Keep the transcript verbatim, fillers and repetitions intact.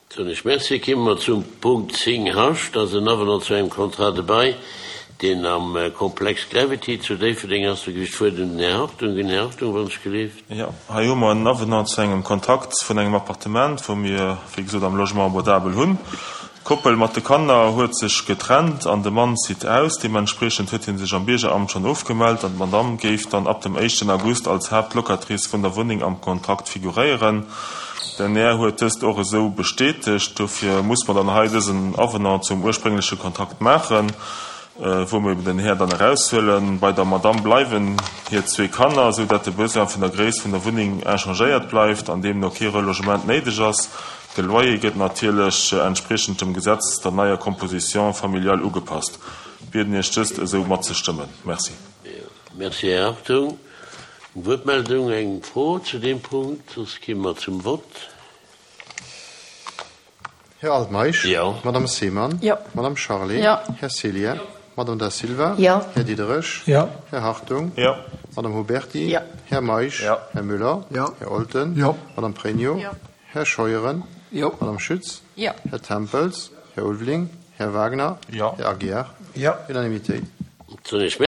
Soen ech Merci. Komme mer zum Punkt zéng H, dat ass en Avenant zu engem Contrat de bail, deen am Komplex Gravity zu Déifferdeng ass. Do ginn ech d'Wuert un den Här Hartung. Den Här Hartung, wann ech gelift. Jo, hei hu mer en Avenant zu engem Kontrakt vun engem Appartement, wou mir, wéi gesot, am Logement abordable hunn. D'Koppel mat de Kanner huet sech getrennt an de Mann zitt aus. Deementspriechend huet hie sech am Biergeramt schonn ofgemellt an d'Madamm géif dann ab dem éischten August als Haaptlocatrice vun der Wunneng am Kontrakt figuréieren. Den Här huet dëst och esou bestätegt. Dofir muss mer dann hei dësen Avenant zum urspréngleche Kontrakt maachen, wou mer eben den Här dann eraushuelen. Bei der Madamm bleiwen hir zwee Kanner, esou dat de Besoin vun der Gréisst vun der Wunneng inchangéiert bleift an deemno kee Relogement néideg ass. De Loyer gëtt natierlech entspriechend dem Gesetz der neier Composition familiale ugepasst. Bieden Iech dëst esou matzestëmmen. Merci. Merci, Här Hartung. Eng Wuertmeldung, eng Fro zu deem Punkt? Soss gi mer zum Vott. Här Altmeisch? Jo. Madame Seemann? Jo. Madame Charlé? Jo. Här Cillien? Jo. Madame Da Silva? Jo. Här Diderich? Jo. Här Hartung? Jo. Madame Huberty? Jo. Här Meisch? Jo. Här Müller? Jo. Här Olten? Jo. Madame Pregno? Jo. Här Scheuren? Jo. Madame Schütz? Jo. Här Tempels? Här Ulveling? Här Wagner? Jo. Här Aguiar? Jo. Unanimitéit. Soen ech